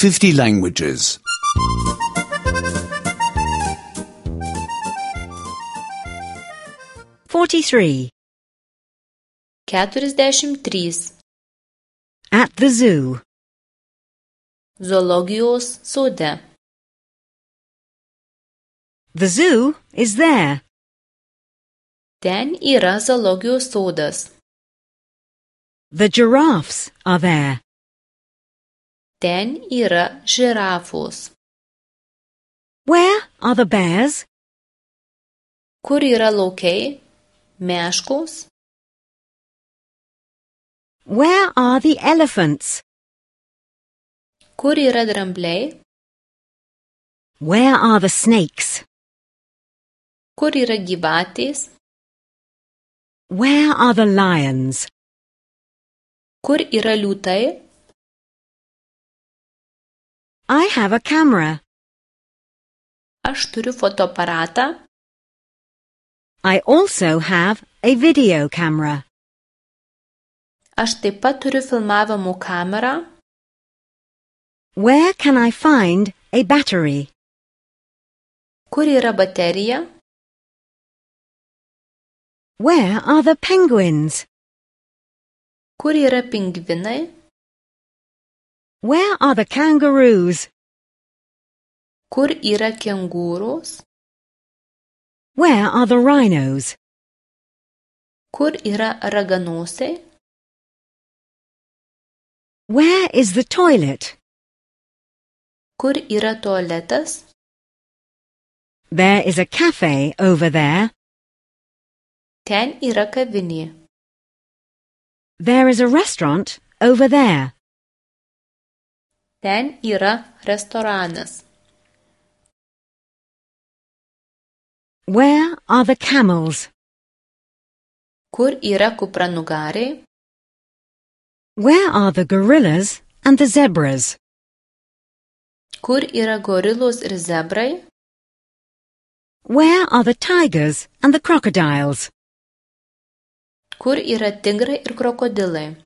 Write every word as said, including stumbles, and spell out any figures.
fifty languages. Forty-three. Keturiasdešimt trys. At the zoo. Zoologijos sode. The zoo is there. Ten yra zoologijos sodas. The giraffes are there. Ten yra žirafos. Where are the bears? Kur yra laukai? Meškos. Where are the elephants? Kur yra drambliai? Where are the snakes? Kur yra gyvatės? Where are the lions? Kur yra liūtai? I have a camera. Aš turiu fotoaparatą. I also have a video camera. Aš taip pat turiu filmavimo kamerą. Where can I find a battery? Kur yra baterija? Where are the penguins? Kur yra pingvinai? Where are the kangaroos? Kur yra kengūros? Where are the rhinos? Kur yra raganosiai? Where is the toilet? Kur yra tualetas? There is a cafe over there. Ten yra kavinė. There is a restaurant over there. Ten yra restoranas. Where are the camels? Kur yra kupranugariai? Where are the gorillas and the zebras? Kur yra gorilos ir zebrai? Where are the tigers and the crocodiles? Kur yra tigrai ir krokodilai?